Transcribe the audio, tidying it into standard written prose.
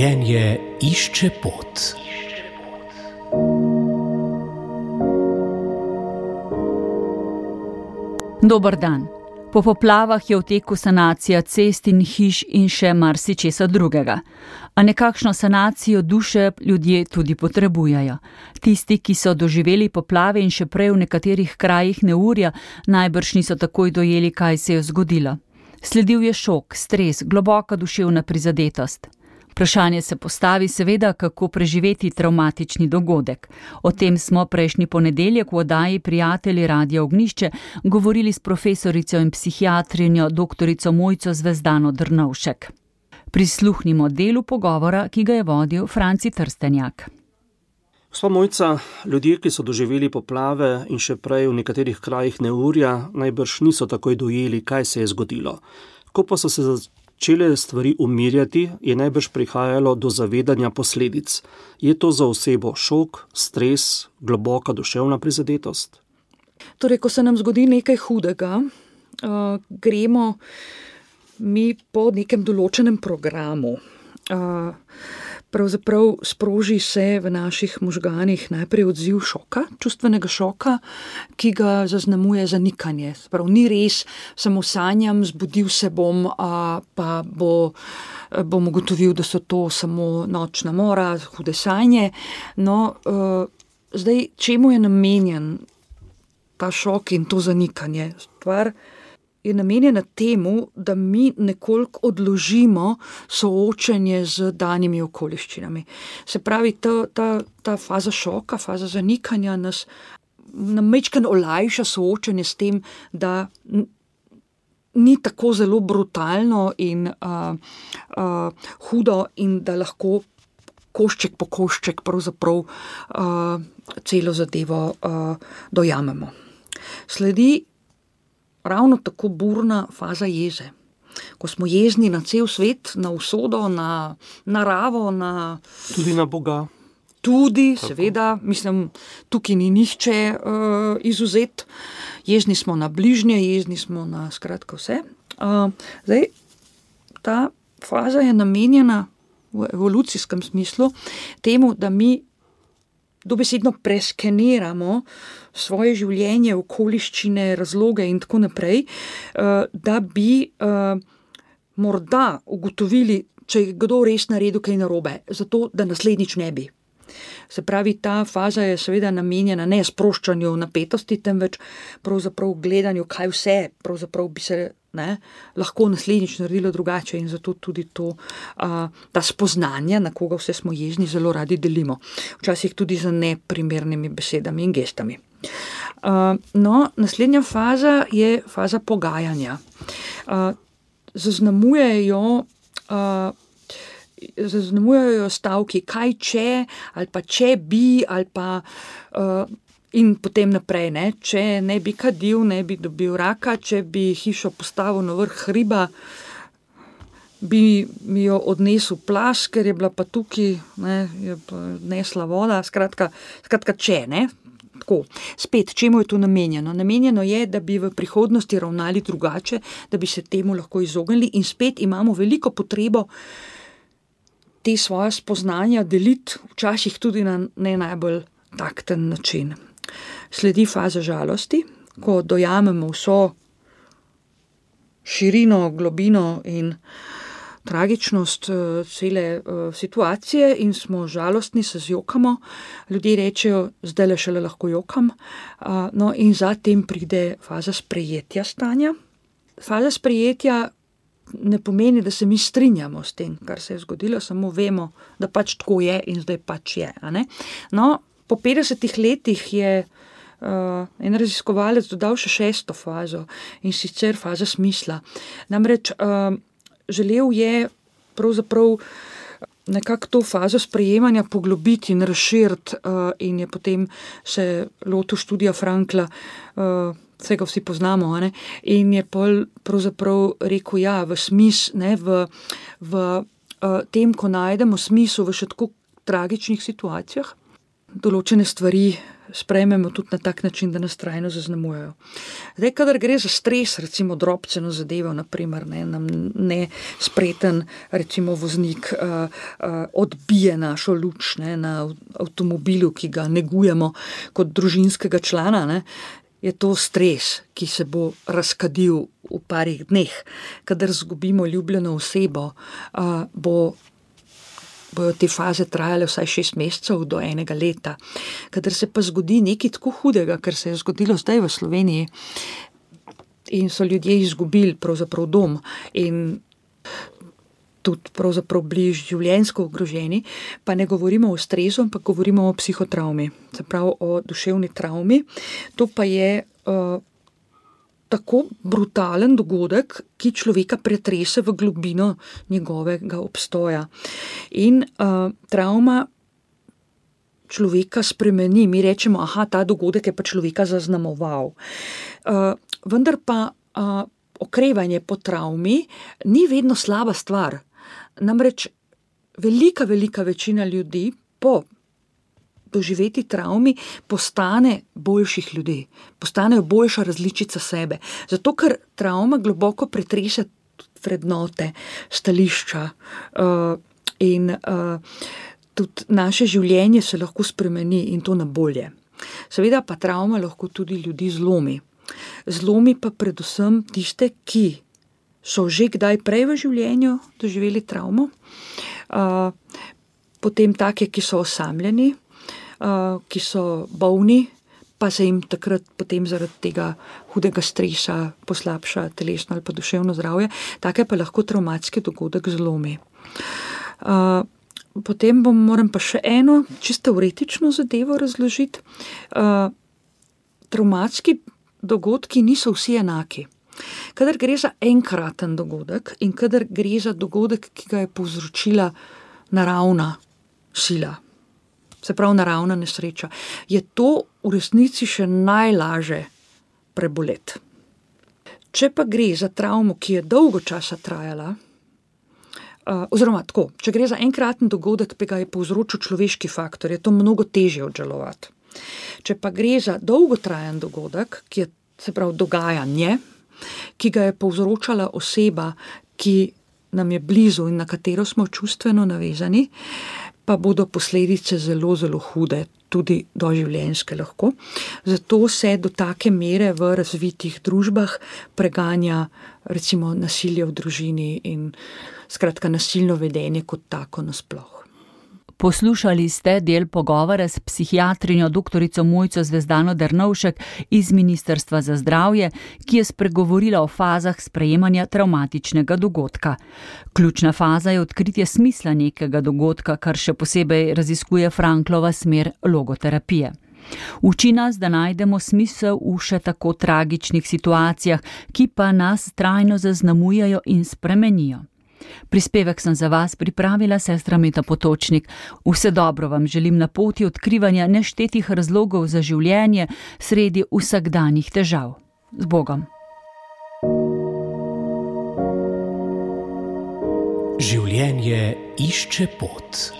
Življenje išče pot. Dober dan. Po poplavah je v teku sanacija cest in hiš in še marsičesa drugega. A nekakšno sanacijo duše ljudje tudi potrebujejo. Tisti, ki so doživeli poplave in še prej v nekaterih krajih neurja, najbrž niso takoj dojeli, kaj se je zgodilo. Sledil je šok, stres, globoka duševna prizadetost. Vprašanje se postavi seveda, kako preživeti travmatični dogodek. O tem smo prejšnji ponedeljek v oddaji Prijatelji Radia Ognjišče govorili s profesorico in psihiatrinjo doktorico Mojco Zvezdano Drnovšek. Prisluhnimo delu pogovora, ki ga je vodil Franci Trstenjak. Gospa Mojca, ljudje, ki so doživeli poplave in še prej v nekaterih krajih neurja, najbrž niso takoj dojeli, kaj se je zgodilo. Ko pa so se začele stvari umirjati, je najbrž prihajalo do zavedanja posledic. Je to za osebo šok, stres, globoka duševna prizadetost? Torej, ko se nam zgodi nekaj hudega, gremo mi po nekem določenem programu. Pravzaprav sproži se v naših možganih najprej odziv šoka, čustvenega šoka, ki ga zaznamuje zanikanje. Prav, ni res, samo sanjam, zbudil se bom, pa bom ugotovil, da so to samo nočna mora, hude sanje. No, zdaj, čemu je namenjen ta šok in to zanikanje? Stvar je namenjena temu, da mi nekoliko odložimo soočenje z danimi okoliščinami. Se pravi, ta faza šoka, faza zanikanja nam majčkeno olajša soočenje s tem, da ni tako zelo brutalno in hudo in da lahko košček po košček pravzaprav celo zadevo dojamemo. Sledi ravno tako burna faza jeze. Ko smo jezni na cel svet, na usodo, na naravo, tudi na Boga. Tudi, tako. Seveda, mislim, tukaj ni nihče izvzet. Jezni smo na bližnje, jezni smo na skratka vse. Zdaj, ta faza je namenjena v evolucijskem smislu temu, da mi dobesedno preskeniramo svoje življenje, okoliščine, razloge in tako naprej, da bi morda ugotovili, če je kdo res naredil kaj narobe, zato da naslednjič ne bi. Se pravi, ta faza je seveda namenjena ne sproščanju napetosti, temveč pravzaprav gledanju, kaj vse pravzaprav bi se lahko naslednjič naredilo drugače in zato tudi ta spoznanja, na koga vse smo jezni, zelo radi delimo. Včasih tudi z neprimernimi besedami in gestami. No, naslednja faza je faza pogajanja. Zaznamujejo stavki, kaj če, ali pa če bi, ali pa in potem naprej, če ne bi kadil, ne bi dobil raka, če bi hišo postavil na vrh hriba, bi mi jo odnesel plaz, ker je bila pa tukaj, je pa nesla voda, skratka če, Tako, spet, čemu je to namenjeno? Namenjeno je, da bi v prihodnosti ravnali drugače, da bi se temu lahko izognili in spet imamo veliko potrebo te svoje spoznanja deliti, včasih tudi na ne najbolj takten način. Sledi faza žalosti, ko dojamemo vso širino, globino in tragičnost cele situacije in smo žalostni, se zjokamo. Ljudje rečejo, zdajle šele lahko jokam. No in zatem pride faza sprejetja stanja. Faza sprejetja ne pomeni, da se mi strinjamo s tem, kar se je zgodilo, samo vemo, da pač tako je in zdaj pač je. No, po 50 letih je en raziskovalec dodal še 6. fazo in sicer faza smisla. Namreč želel je pravzaprav nekako to fazo sprejemanja poglobiti in razširiti in je potem se lotil študija Frankla, vse ga vsi poznamo, in je pol pravzaprav rekel, v tem, ko najdemo smisel v še tako tragičnih situacijah, določene stvari sprejmemo tudi na tak način, da nas trajno zaznamujejo. Zdaj, kadar gre za stres, recimo drobceno zadevo, naprimer, nam nespreten, recimo voznik odbije našo luč na avtomobilu, ki ga negujemo kot družinskega člana, je to stres, ki se bo razkadil v parih dneh. Kadar zgubimo ljubljeno osebo, bojo te faze trajale vsaj 6 mesecev do 1 leta. Kadar se pa zgodi nekaj tako hudega, kar se je zgodilo zdaj v Sloveniji in so ljudje izgubili pravzaprav dom in tudi pravzaprav bili življenjsko ogroženi, pa ne govorimo o stresu, ampak govorimo o psihotravmi, se pravi o duševni travmi. To pa je tako brutalen dogodek, ki človeka pretrese v globino njegovega obstoja. In travma človeka spremeni. Mi rečemo, ta dogodek je pa človeka zaznamoval. Vendar pa okrevanje po travmi ni vedno slaba stvar. Namreč velika večina ljudi po doživeti travmi postane boljših ljudi, postanejo boljša različica sebe. Zato, ker travma globoko pretrese vrednote, stališča in tudi naše življenje se lahko spremeni in to na bolje. Seveda pa travma lahko tudi ljudi zlomi. Zlomi pa predvsem tiste, ki so že kdaj prej v življenju doživeli travmo, potem take, ki so osamljeni, ki so bolni, pa se jim takrat potem zaradi tega hudega stresa poslabša telesno ali pa duševno zdravje, take pa lahko travmatski dogodek zlomi. Potem moram pa še eno čisto teoretično zadevo razložiti. Travmatski dogodki niso vsi enaki. Kadar gre za enkraten dogodek in kadar gre za dogodek, ki ga je povzročila naravna sila, se pravi naravna nesreča, je to v resnici še najlažje preboleti. Če pa gre za travmo, ki je dolgo časa trajala, oziroma tako, če gre za enkraten dogodek, ki ga je povzročil človeški faktor, je to mnogo težje obžalovati. Če pa gre za dolgotrajen dogodek, ki je, se pravi, dogajanje, ki ga je povzročala oseba, ki nam je blizu in na katero smo čustveno navezani, pa bodo posledice zelo hude, tudi doživljenjske lahko. Zato se do take mere v razvitih družbah preganja recimo nasilje v družini in skratka nasilno vedenje kot tako nasploh. Poslušali ste del pogovora s psihiatrinjo doktorico Mojco Zvezdano Drnovšek iz Ministrstva za zdravje, ki je spregovorila o fazah sprejemanja travmatičnega dogodka. Ključna faza je odkritje smisla nekega dogodka, kar še posebej raziskuje Franklova smer logoterapije. Uči nas, da najdemo smisel v še tako tragičnih situacijah, ki pa nas trajno zaznamujejo in spremenijo. Prispevek sem za vas pripravila sestra Meta Potočnik. Vse dobro vam želim na poti odkrivanja neštetih razlogov za življenje sredi vsakdanjih težav. Z Bogom. Življenje išče pot.